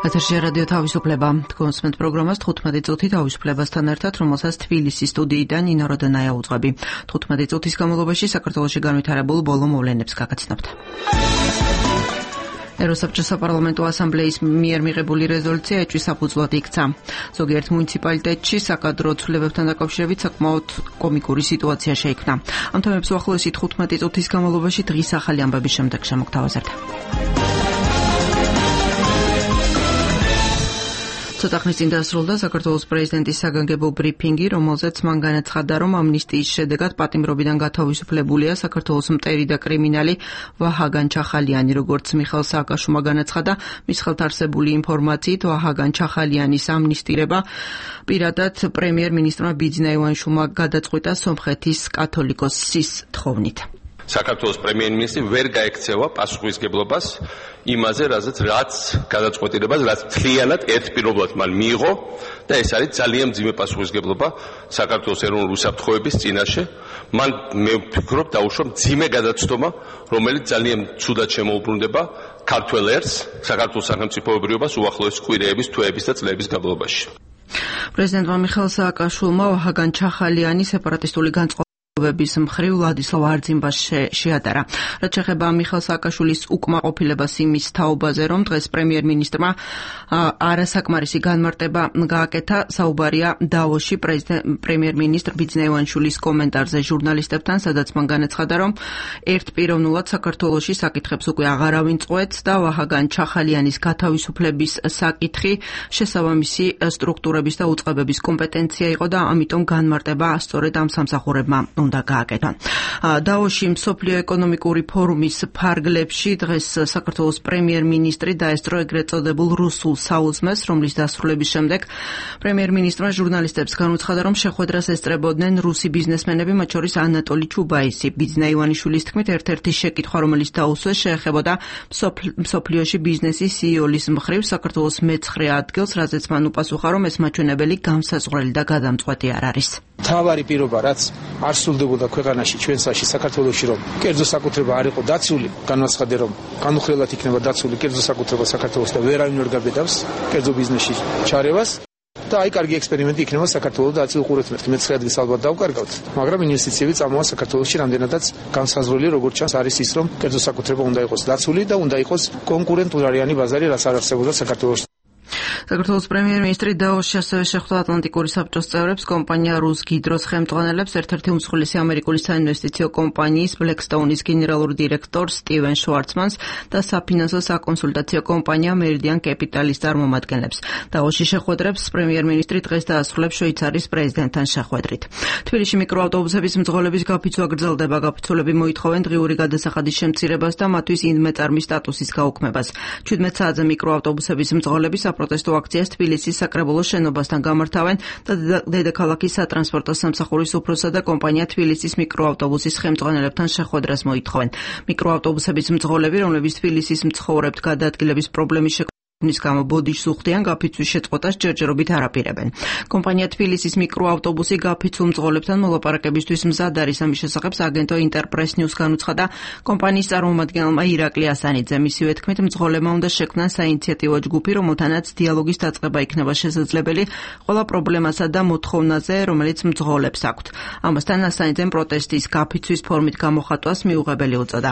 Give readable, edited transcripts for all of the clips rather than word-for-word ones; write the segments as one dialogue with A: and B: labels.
A: ეთერში რადიო თავისუფლება. თქვენს პროგრამას 15 წუთი თავისუფლებასთან ერთად, რომელსაც თბილისის სტუდიიდან ნინო როდონაია უძღვები. 15 წუთის განმავლობაში საქართველოში განვითარებულ ბოლო მოვლენებს გაგაცნობთ. ეროსაბჭოს საპარლამენტო ასამბლეის მიერ მიღებული რეზოლუცია ეჭვის საფუძვლად იქცა. ზოგიერთ მუნიციპალიტეტში საკადრო ცვლილებებთან დაკავშირებით საკმაოდ კომიკური სიტუაცია შეიქმნა. ამ თემებს უახლოესი 15 წუთის განმავლობაში დღის ახალი ამბების შემდეგ შემოგთავაზებთ. ცოტა ხნის წინ დასრულდა საქართველოს პრეზიდენტის საგანგებო ბრიფინგი, რომელზეც მან განაცხადა, რომ ამნისტიის შედეგად პატიმრობიდან გათავისუფლებულია საქართველოს მტერი და კრიმინალი ვაჰაგან ჩახალიანი, როგორც მიხეილ სააკაშვილმა განაცხადა, მის ხელთ არსებული ინფორმაციით ვაჰაგან ჩახალიანის ამნისტირება პირადად პრემიერ-მინისტრმა ბიძინა ივანიშვილმა გადაწყვიტა სომხეთის კათოლიკოსის თხოვნით.
B: საქართველოს პრემიერ-მინისტრი ვერ გაექცევა პასუხისგებლობას იმაზე, რაც გადაწყვეტილებას, რაც მთლიანად ერთპირობლად მან მიიღო და ეს არის ძალიან მძიმე პასუხისგებლობა საქართველოს ეროვნული უსაფრთხოების წინაშე. მან მე ვფიქრობ დაუშვა მძიმე გადაცდომა, რომელიც ძალიან ცუდად შემოუბრუნდება ქართველ ერს, საქართველოს სახელმწიფოებრიობას უახლოესი კვირეების, თვეების და წლების განმავლობაში.
A: პრეზიდენტმა მიხეილ სააკაშვილმა ვაჰაგან ჩახალიანის სეპარატისტული განწყობების მხრივ ვლადისლავ არძიმბას შეადარა. რაც შეეხება მიხეილ სააკაშვილის უკმაყოფილებას იმის თაობაზე, რომ დღეს პრემიერ-მინისტრმა არასაკმარისი განმარტება გააკეთა, საუბარია დავოში პრემიერ-მინისტრ ბიძინა ივანიშვილის კომენტარზე ჟურნალისტებთან, სადაც მან განაცხადა, რომ ერთპიროვნულად საქართველოში საკითხებს უკვე აღარავინ წყვეტს და ვაჰაგან ჩახალიანის გათავისუფლების საკითხი შესაბამისი სტრუქტურების და უწყებების კომპეტენცია იყო და ამიტომ განმარტება სწორედ ამ სამსახურებმა უნდა გააკეთონ. დავოში მსოფლიო ეკონომიკური ფორუმის ფარგლებში დღეს საქართველოს პრემიერ-მინისტრი დაესწრო ეგრეთ წოდებულ რუსულ საუზმეს, რომლის დასრულების შემდეგ პრემიერ-მინისტრმა ჟურნალისტებს განუცხადა, რომ შეხვედრას ესწრებოდნენ რუსი ბიზნესმენები, მათ შორის ანატოლი ჩუბაისი. ბიძინა ივანიშვილის თქმით, ერთ-ერთი შეკითხვა, რომელიც დაუსვეს, შეეხებოდა მსოფლიოში ბიზნესის CEO-ლის მხრივ საქართველოს მე-9 ადგილს, რაზეც მან უპასუხა, რომ ეს მაჩვენებელი განსაზღვრელი და გადამწყვეტი არ არის.
C: თავარი პირობა, რაც არ სრულდებოდა ქვეყანაში, ჩვენსაში, საქართველოში, რომ კერძო საკუთრება არ იყო დაცული, განაცხადე, რომ განუხრელად იქნება დაცული კერძო საკუთრება საქართველოს და ვერავინ ვერ გაბედავს კერძო ბიზნესში ჩარევას. და აი კარგი ექსპერიმენტი იქნება საქართველოს და აწილ ყურეთმეტ მე-9 ადგილს ალბათ დავკარგავთ, მაგრამ ინვესტიციები წამოვა საქართველოში რამდენადაც განსაზღვრელი, როგორც ჩანს, არის ის, რომ კერძო საკუთრება უნდა იყოს დაცული და უნდა იყოს კონკურენტულარიანი ბაზარი, რაც არ არსებობდა საქართველოში.
A: საქართველოს პრემიერ-მინისტრი დავოში ასევე შეხვდა ატლანტიკური საბჭოს წევრებს, კომპანია რუსგიდროს ხელმძღვანელებს, ერთ-ერთი უმსხვილესი ამერიკული საინვესტიციო კომპანიის ბლეკსტოუნის გენერალურ დირექტორს სტივენ შვარცმანს და საფინანსო საკონსულტაციო კომპანია მერიდიან კეპიტალის წარმომადგენლებს. დავოში შეხვედრებს პრემიერ-მინისტრი დღეს დაასრულებს შვეიცარიის პრეზიდენტთან შეხვედრით. თბილისში მიკროავტობუსების მძღოლების გაფიცვა გრძელდება. გაფიცულები მოითხოვენ დღიური გადასახადის შემცირებას და მათთვის ინდმეწარმის სტატუსის გაუქმებას. 17 საათზე მიკროავტობუსების მძღოლები საპროტესტო აქციას თბილისის საკრებულო შენობასთან გამართავენ და დედაქალაქის სატრანსპორტო სამსახურის უფროსსა და კომპანია თბილისის მიკროავტობუსის ხელმძღვანელებთან შეხვედრას მოითხოვენ. მიკროავტობუსების მძღოლები, რომლებიც თბილისის მცხოვრებთ გადაადგილების პრობლემის ნის გამო ბოდიშს უხდიან, გაფიცვის შეწყვეტას ჯერჯერობით არ აპირებენ. კომპანია თბილისის მიკროავტობუსი გაფიცულ მძღოლებთან მოლაპარაკებისთვის მზად არის. ამის შესახებ აგენტო ინტერპრეს ნიუს განუცხადა კომპანიის წარმომადგენელმა ირაკლი ასანიძემ. მისივე თქმით, მძღოლებმა უნდა შექმნან საინიციატივო ჯგუფი, რომელთანაც დიალოგის დაწყება იქნება შესაძლებელი ყველა პრობლემასა და მოთხოვნაზე, რომელიც მძღოლებს აქვთ. ამასთან ასანიძემ პროტესტის გაფიცვის ფორმით გამოხატვას მიუღებელი უწოდა.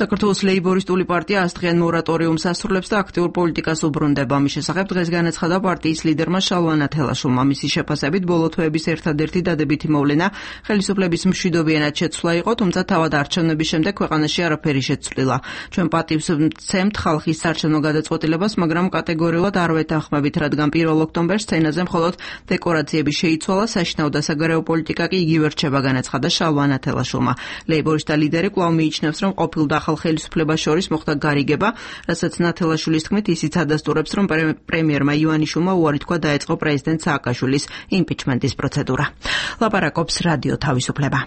A: საქართველოს ლეიბორისტული პარტია ასწრიან მორატორიუმს ასრულებს და აქტიურ პოლიტიკას უბრუნდება. ამის შესახებ დღეს განაცხადა პარტიის ლიდერმა შალვა ნათელაშვილმა. მისი შეფასებით ბოლო თვეების ერთადერთი დადებითი მოვლენა ხელისუფლების მშვიდობიანად შეცვლა იყო, თუმცა თავად არჩევნების შემდეგ ქვეყანაში არაფერი შეცვლილა. ჩვენ პატივს ვცემთ ხალხის საარჩევნო გადაწყვეტილებას, მაგრამ კატეგორიულად არ ვეთანხმებით, რადგან 1 ოქტომბერს სცენაზე მხოლოდ დეკორაციები შეიცვალა, საშინაო და საგარეო პოლიტიკა კი იგივე რჩება, განაცხადა შალვა ნათელაშვილმა. ლეიბორისტთა ლიდერი კვლავ მიიჩნევს, რომ ყოფილ და ახალ ხელისუფლებას შორის მოხდა გარიგება, რასაც ნათელაშვილის თქმით ისიც ადასტურებს, რომ პრემიერმა ივანიშვილმა უარი თქვა დაეწყო პრეზიდენტ სააკაშვილის იმპიჩმენტის პროცედურა. ლაპარაკობს რადიო თავისუფლება.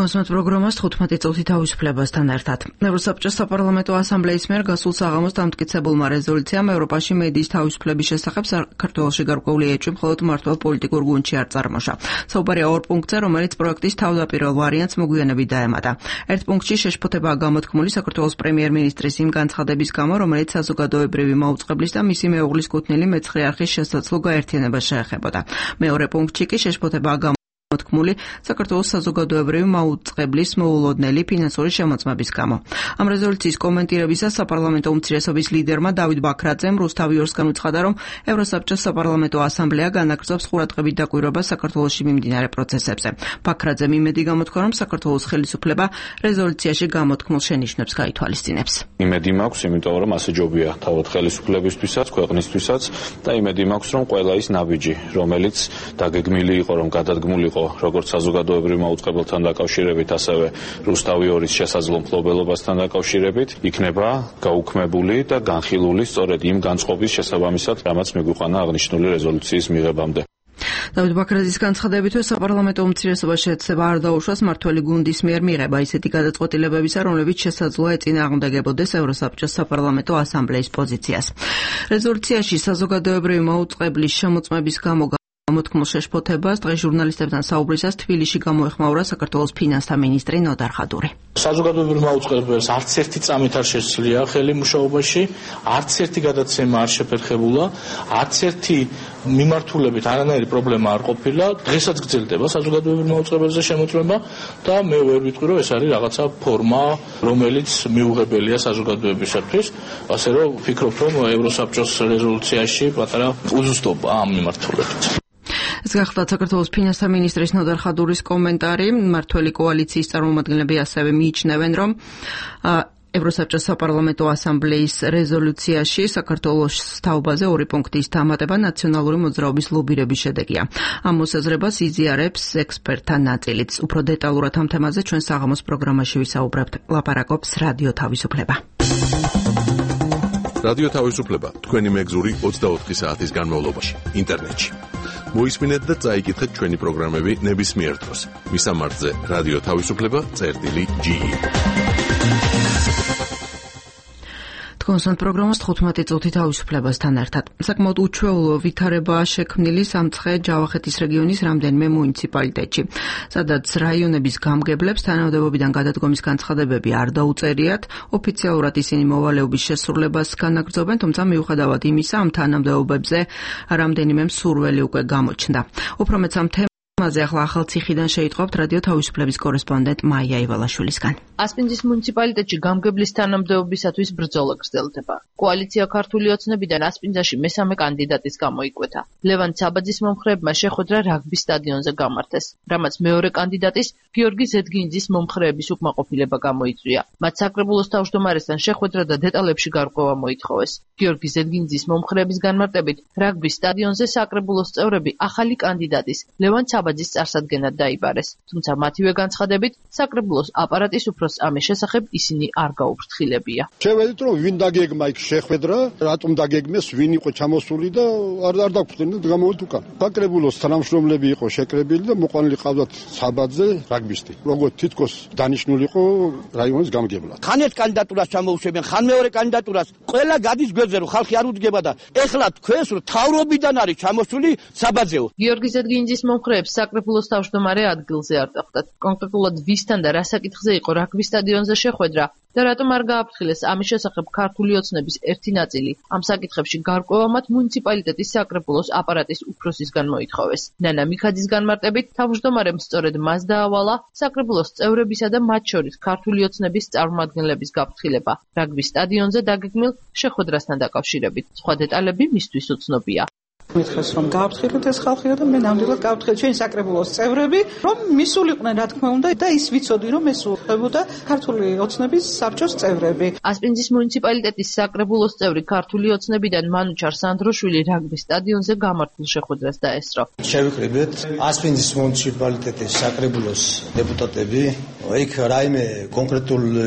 A: თქვენს პროგრამას 15 წუთი თავისუფლებასთან ერთად. ევროსაბჭოს საპარლამენტო ასამბლეის მიერ გასულ საღამოს დამტკიცებულმა რეზოლუციამ ევროპაში მედიის თავისუფლების შესახებ საქართველოში გარკვეული ეჭვი მხოლოდ მართლ პოლიტიკურ გუნდში არ წარმოშა. საუბარია ორ პუნქტზე, რომელიც პროექტის თავდაპირველ ვარიანტს მოგვიანებით დაემატა. ერთ პუნქტში შეშფოთებაა გამოთქმული საქართველოს პრემიერ-მინისტრის იმ განცხადების გამო, რომელიც საზოგადოებრივი მაუწყებლის და მისი მეუღლის კუთვნილი მეცხრე არხის შესაძლო გაერთიანებას შეეხებოდა. მეორე პუნქტში კი შეშფოთებაა მოთქმული საქართველოს საზოგადოებრივი მაუწყებლის მოულოდნელი ფინანსური შემოწმების გამო. ამ რეზოლუციის კომენტირებისას საპარლამენტო უმცირესობის ლიდერმა დავით ბაქრაძემ რუსთავი ორსგან უცხადა, რომ ევროსაბჭოს საპარლამენტო ასამბლეა განაგრძობს ყურადღებით დაკვირვებას საქართველოში მიმდინარე პროცესებზე. ბაქრაძემ იმედი გამოთქვა, რომ საქართველოს ხელისუფლება რეზოლუციაში გამოთქმულ შენიშვნებს გაითვალისწინებს.
D: იმედი მაქვს, იმიტომ რომ ასე ჯობია თავად ხელისუფლებისთვისაც, ქვეყნისთვისაც და იმედი მაქვს, რომ ყველა ის ნაბიჯი, რომელიც დაგეგმილი იყო, რომ გადადგმული იყო როგორც საზოგადოებრივ მაუწყებელთან დაკავშირებით, ასევე რუსთავი ორის შესაძლო მფლობელობასთან დაკავშირებით, იქნება გაუქმებული და განხილული სწორედ იმ განწყობის შესაბამისად, რამაც მიგვიყვანა აღნიშნული რეზოლუციის მიღებამდე.
A: დავით ბაქრაძის განცხადებითვე საპარლამენტო უმცირესობა შეეცდება არ დაუშვას მმართველი გუნდის მიერ მიღება ისეთი გადაწყვეტილებებისა, რომლებიც შესაძლოა ეწინააღმდეგებოდეს ევროსაბჭოს საპარლამენტო ასამბლეის პოზიციას. რეზოლუციაში საზოგადოებრივი მაუწყებლის შემოწმების გამო გამოთქმულ შეშფოთებას დღეს ჟურნალისტებთან საუბრისას თბილისში გამოეხმაურა საქართველოს ფინანსთა მინისტრი ნოდარ ხადური.
E: საზოგადოებრივ მაუწყებელს არც ერთი წამით არ შესძლია ხელი მუშაობაში, არც ერთი გადაცემა არ შეფერხებულა, არც ერთი მიმართულებით არანაირი პრობლემა არ ყოფილა. დღესაც გრძელდება საზოგადოებრივ მაუწყებელზე შემოწმება და მე ვერ ვიტყვი, რომ ეს არის რაღაცა ფორმა, რომელიც მიუღებელია საზოგადოებისათვის, ასე რომ ვფიქრობ, რომ ევროსაბჭოს რეზოლუციაში პატარა უზუსტობა ამ მიმართულებით.
A: ეს გახლავთ საქართველოს ფინანსთა მინისტრის ნოდარ ხადურის კომენტარი. მმართველი კოალიციის წარმომადგენლები ასევე მიიჩნევენ, რომ ევროსაბჭოს საპარლამენტო ასამბლეის რეზოლუციაში საქართველოს თაობაზე ორი პუნქტის დამატება ნაციონალური მოძრაობის ლობირების შედეგია. ამ მოსაზრებას იზიარებს ექსპერტთა ნაწილიც. უფრო დეტალურად ამ თემაზე ჩვენ საღამოს პროგრამაში ვისაუბრებთ. ლაპარაკობს რადიო თავისუფლება.
F: რადიო თავისუფლება თქვენი მეგზური 24 საათის განმავლობაში ინტერნეტში. მოისმინეთ და წაიკითხეთ ჩვენი პროგრამები ნებისმიერ დროს. მისამართზე რადიო თავისუფლება.ge. თქვენს პროგრამას 15 წუთი თავისუფლებასთან ერთად. საკმაოდ უჩვეულო ვითარებაა შექმნილი სამცხე ჯავახეთის რეგიონის რამდენიმე მუნიციპალიტეტში, სადაც რაიონების გამგებლებს თანამდებობიდან გადადგომის განცხადებები არ დაუწერიათ. ოფიციალურად ისინი მოვალეობის შესრულებას განაგრძობენ, თუმცა მიუხედავად იმისა, ამ თანამდებობებზე რამდენიმე მსურველი უკვე გამოჩნდა. უფრო მეც ამ თემაზე ახლა ახალციხიდან შეიტყობთ რადიო თავისუფლების კორესპონდენტ მაია ივალაშვილისგან.
G: ასპინძის მუნიციპალიტეტში გამგებლის თანამდებობისათვის ბრძოლა გრძელდება. კოალიცია ქართული ოცნებიდან ასპინძაში მესამე კანდიდატის გამოიკვეთა. ლევან ცაბაძის მომხრეებმა შეხვედრა რაგბის სტადიონზე გამართეს, რამაც მეორე კანდიდატის გიორგი ზედგინძის მომხრეების უკმაყოფილება გამოიწვია. მათ საკრებულოს თავმჯდომარესთან შეხვედრა და დეტალებში გარკვევა მოითხოვეს. გიორგი ზედგინძის მომხრეების განმარტებით, რაგბის სტადიონზე საკრებულოს წევრები ახალი კანდიდატის ლევან ცაბაძის წარსადგენად დაიბარეს, თუმცა მათივე განცხადებით, საკრებულოს აპარატის უფრო ამის შესახებ ისინი არ გაუფრთხილებია.
H: შევედით, რომ ვინ დაგეგმა იქ შეხვედრა, რატომ დაგეგმეს, ვინ იყო ჩამოსული და არ დაგხვდნენ და გამოვით უკან. საკრებულოს თანამშრომლები იყო შეკრებილი და მოყვანილი ყავდათ საბაძე რაგბისტი. როგორც თითქოს დანიშნული იყო რაიონის გამგებლად.
I: ხან ერთ კანდიდატურას ჩამოუშვებენ, ხან მეორე კანდიდატურას, ყველა გადის გვერდზე, რომ ხალხი არ უდგება და ეხლა თქვენს რომ თავრობიდან არის ჩამოსული საბაძეო.
G: გიორგი ზედგინძის მომხრეებს საკრებულოს თავმჯდომარე ადგილზე არ დახვდათ. კონკრეტულად ვისთან და რა საკითხზე იყო რაგბის სტადიონზე შეხვედრა და რატომ არ გააფრთხილეს ამის შესახებ ქართული ოცნების ერთი ნაწილი. ამ საკითხებში გარკვევა მათ მუნიციპალიტეტის საკრებულოს აპარატის უფროსისგან მოითხოვეს. ნანა მიქაძის განმარტებით, თავმჯდომარემ სწორედ მას დაავალა საკრებულოს წევრებისა და მათ შორის ქართული ოცნების წარმომადგენლების გაფრთხილება რაგბის სტადიონზე დაგეგმილ შეხვედრასთან დაკავშირებით. სხვა დეტალები მისთვის უცნობია.
J: მითხეს რომ გააფრთხილოთ ეს ხალხია და მე ნამდვილად გავაფრთხილე ჩვენი საკრებულოს წევრები, რომ მისულიყვნენ რა თქმა უნდა და ის ვიცოდი რომ ეს უხდებოდა ქართული ოცნების საბჭოს წევრები.
G: ასპინძის მუნიციპალიტეტის საკრებულოს წევრი ქართული ოცნებიდან მანუჩარ სანდროშვილი რაგბის სტადიონზე გამართულ შეხვედრას დაესწრო.
K: შევიკრიბეთ ასპინძის მუნიციპალიტეტის საკრებულოს დეპუტატები, იქ რაიმე კონკრეტული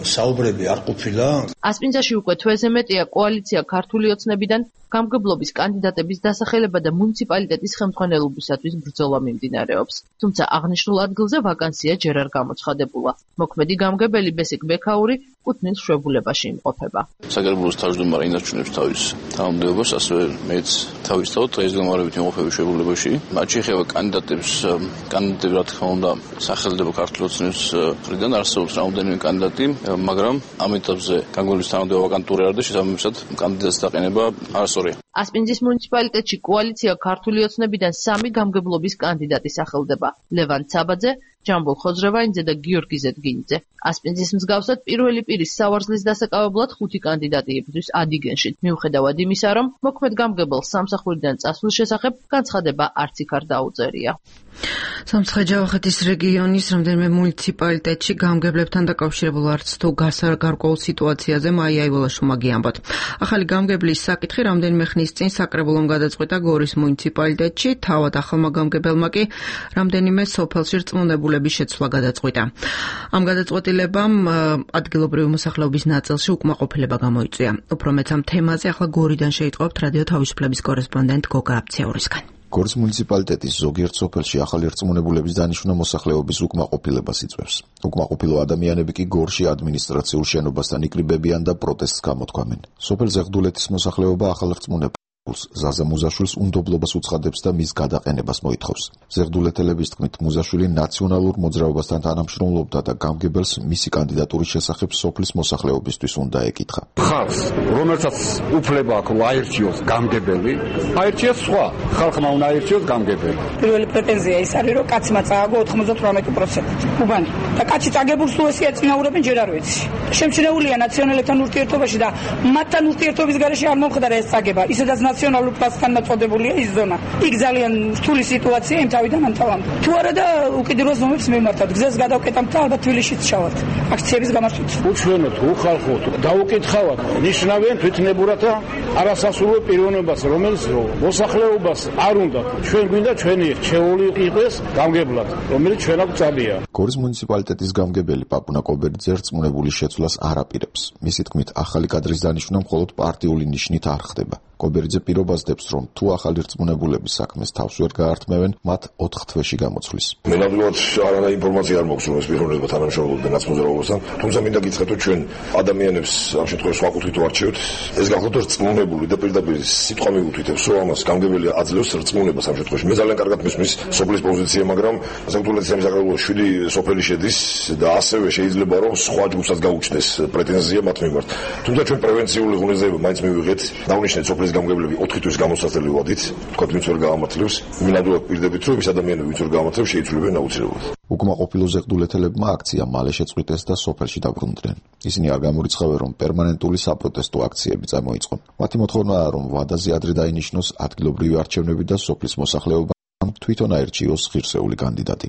K: საუბრები არ ყოფილა.
G: ასპინძაში უკვე თვეზე მეტია კოალიცია ქართული ოცნებიდან გამგებლობის კანდიდატების დასახელება და მუნიციპალიტეტის ხელმძღვანელობისათვის ბრძოლა მიმდინარეობს. თუმცა აღნიშნულ ადგილზე ვაკანსია ჯერ არ გამოცხადებულა. მოქმედი გამგებელი ბესიკ ბექაური კუთვნილ შვებულებაში იმყოფება.
L: საგერბულოს თავმჯდომარე ინარჩუნებს თავის თანამდებობას, ასევე მეც თავისთავად დღესდღეობით იმყოფები შვებულებაში. მათ შეეხება კანდიდატები რა თქმა უნდა სახელდება ქართული ოცნების მხრიდან არსებობს რამდენიმე კანდიდატი, მაგრამ ამ ეტაპზე გამგებლის თანამდებობა ვაკანტური არ და შესაბამისად კანდიდატის დაყენება არასწორია.
G: ასპინძის მუნიციპალიტეტში კოალიცია ქართული ოცნებიდან 3 გამგებლობის კანდიდატი სახელდება: ლევან ცაბაძე, ჯამბულ ხოძრევაინძე და გიორგი ზედგინიძე. ასპინძის მსგავსად პირველი პირის სავარძლის დასაკავებლად 5 კანდიდატი იბრძვის ადიგენში. მიუხედავად იმისა, რომ მოქმედ გამგებელს სამსახურიდან წასვლის შესახებ განცხადება არც იქ არ დაუწერია.
A: სამცხე-ჯავახეთის რეგიონის რამდენიმე მუნიციპალიტეტში გამგებლებთან დაკავშირებულ არც თუ გარკვეულ სიტუაციაზე მაია ივოლაშვილმა გიამბოთ. ახალი გამგებლის საკითხი რამდენიმე ხნის წინ საკრებულომ გადაწყვიტა გორის მუნიციპალიტეტში, თავად ახალმა გამგებელმა კი რამდენიმე სოფელში რწმუნებულების შეცვლა გადაწყვიტა. ამ გადაწყვეტილებამ ადგილობრივი მოსახლეობის ნაწილში უკმაყოფილება გამოიწვია. უფრო მეც ამ თემაზე ახლა გორიდან შეიტყობთ რადიო თავისუფლების კორესპონდენტ გოგა აბციაურისგან.
M: გორის მუნიციპალიტეტის ზოგიერთ სოფელში ახალი რწმუნებულების დანიშვნა მოსახლეობის უკმაყოფილებას იწვევს. უკმაყოფილო ადამიანები კი გორში ადმინისტრაციულ შენობასთან იკრიბებიან და პროტესტს გამოთქვამენ. სოფელ ზეღდულეთის მოსახლეობა ახალ რწმუნებულს ზაზა მუზაშვილს უნდობლობას უცხადებს და მის გადაყენებას მოითხოვს. ზეღდულეთელების თქმით, მუზაშვილი ნაციონალურ მოძრაობასთან თანამშრომლობდა და გამგებელს მისი კანდიდატურის შესახებ სოფლის მოსახლეობისთვის უნდა ეკითხა.
H: ხალხს, რომელსაც უფლება აქვს აირჩიოს გამგებელი, აირჩიოს სხვა, ხალხმა უნდა აირჩიოს გამგებელი.
N: პირველი პრეტენზია ის არის, რომ კაცმა წააგო 98%. უბანი და კაცი წაგებულს თუ ესე ეწინაურებენ ჯერ არ ვიცი. შემჩნეულია ნაციონალებთან ურთიერთობაში და მათთან ურთიერთობის გარეშე არ მომხდარა ეს წაგება. ისედაც ნაციონალურ პლასთან მოწოდებულია ის ზონა. იქ ძალიან რთული სიტუაცია იმ თავიდან ამ თავამდე. თუ არა და უკიდურეს ზომებს მივმართავთ, გზას გადავკეტამთ და ალბათ თბილისშიც ჩავალთ. აქციების გამართვით.
C: უჩვენოთ, უხალხოთ, დაუკითხავთ, ნიშნავენ თვითნებურად და არასასურველ პიროვნებას, რომელიც მოსახლეობას არ უნდა. ჩვენ გვინდა ჩვენი რჩეული იყოს გამგებლად, რომელიც ჩვენ აქვს წადია.
M: გორის მუნიციპალიტეტის გამგებელი პაპუნა კობერიძე რწმუნებულის შეცვლას არ აპირებს. მისი თქმით, ახალი კადრის დანიშვნა მხოლოდ პარტიული ნიშნით არ ხდება. კობერიძე პირობას დებს, რომ თუ ახალი რწმუნებულების საქმეს თავს ვერ გაართმევენ, მათ 4 თვეში გამოცვლის.
O: მე ნამდვილად არანაირი ინფორმაცია არ მაქვს, რომ ეს პიროვნება თანამშრომლობდნენ ნაცმოძრაობასთან, თუმცა მინდა გითხრათ, ჩვენ ადამიანებს ამ შემთხვევაში სხვა კუთხით ვარჩევთ. ეს გახლავთ რწმუნებული და პირდაპირ სიტყვა მიუთითებს, რომ ამას გამგებელი აძლევს რწმუნებას ამ შემთხვევაში. მე ძალიან კარგად მისმის სოფლის პოზიცია, მაგრამ საქართველოს სამსახურის 7 სოფელი შედის და ასევე შეიძლება რომ სხვა ჯგუფსაც გაუჩნდეს პრეტენზია მათ მიმართ. თუმცა ჩვენ პრევენციული ღონისძიება მაინც მივიღეთ, დავნიშნეთ სოფლის გამგებლები 4 თვის გამოსასწრელი ვადით, თქვა ვინც ვერ გაამართლებს, მინადულად პირდებით რომ ის ადამიანები ვინც ვერ გაამართლებს შეიცვლებიან აუცილებლად.
M: უკმაყოფილო ზეღდულეთელებმა აქცია მალე შეწყვიტეს და სოფელში დაბრუნდნენ. ისინი არ გამორიცხავენ, რომ პერმანენტული საპროტესტო აქციები წამოიწყონ. მათი მოთხოვნაა, რომ ვადაზე ადრე დაინიშნოს ადგილობრივი არჩევნები და სოფლის მოსახლეობამ თვითონ აირჩიოს ღირსეული კანდიდატი.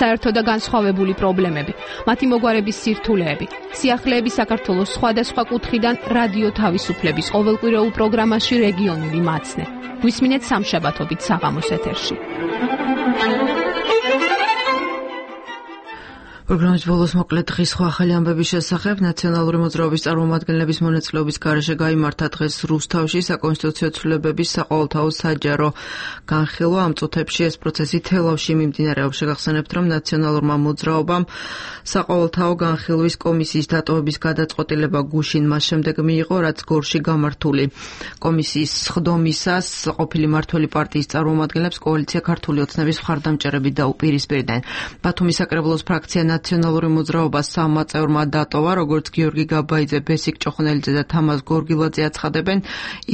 P: საერთო და განსხვავებული პრობლემები, მათი მოგვარების სირთულეები, სიახლეები საქართველოს სხვადასხვა კუთხიდან რადიო თავისუფლების ყოველკვირეულ პროგრამაში რეგიონული მაცნე. გვისმინეთ სამშაბათობით საღამოს ეთერში.
A: პროგრამის ბოლოს მოკლედ დღის სხვა ახალი ამბების შესახებ ნაციონალური მოძრაობის წარმომადგენლების მონაწილეობის გარეშე გაიმართა დღეს რუსთავში საკონსტიტუციო ცვლილებების საყოველთაო საჯარო განხილვა. ამ წუთებში ეს პროცესი თელავში მიმდინარეობს. შეგახსენებთ, რომ ნაციონალურმა მოძრაობამ საყოველთაო განხილვის კომისიის დატოვების გადაწყვეტილება გუშინ მას შემდეგ მიიღო, რაც გორში გამართული კომისიის სხდომისას ყოფილი მმართველი პარტიის წარმომადგენლებს კოალიცია ქართული ოცნების მხარდამჭერებით დაუპირისპირდნენ. ბათუმის საკრებულოს ფრაქცია ნაციონალური მოძრაობა 3 წევრმა დატოვა, როგორც გიორგი გაბაიძე, ბესიკ ჭოხნელიძე და თამაზ გორგილაძე აცხადებენ,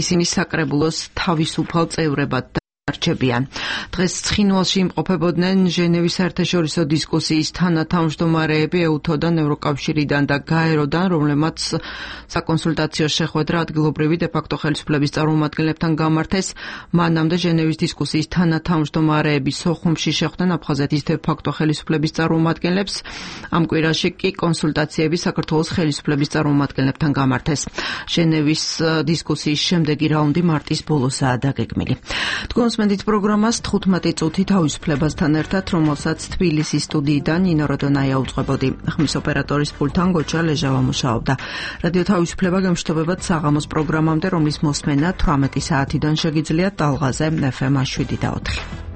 A: ისინი საკრებულოს თავისუფალ წევრებად არჩებიან. დღეს ცხინვალში იმყოფებოდნენ ჟენევის საერთაშორისო დისკუსიის თანათავმჯდომარეები ეუთოდან, ევროკავშირიდან და გაეროდან, რომლებმაც საკონსულტაციო შეხვედრა ადგილობრივი დე-ფაქტო ხელისუფლების წარმომადგენლებთან გამართეს. მანამდე ჟენევის დისკუსიის თანათავმჯდომარეები სოხუმში შეხვდნენ აფხაზეთის დე-ფაქტო ხელისუფლების წარმომადგენლებს. ამ კვირაში კი კონსულტაციები საქართველოს ხელისუფლების წარმომადგენლებთან გამართეს. ჟენევის დისკუსიის შემდეგი რაუნდი მარტის ბოლოსაა დაგეგმილი. თქვენს მოსმენთ პროგრამას 15 წუთი თავისუფლებასთან ერთად, რომელსაც თბილისის სტუდიიდან ნინო როდონაია უწყებოდი. ხმის ოპერატორის პულტთან გოჩა ლეჟავა მუშაობდა. რადიო თავისუფლება გემშვიდობებად საღამოს პროგრამამდე, რომლის მოსმენა 18 საათიდან შეგიძლიათ ტალღაზე FM 7 და 4.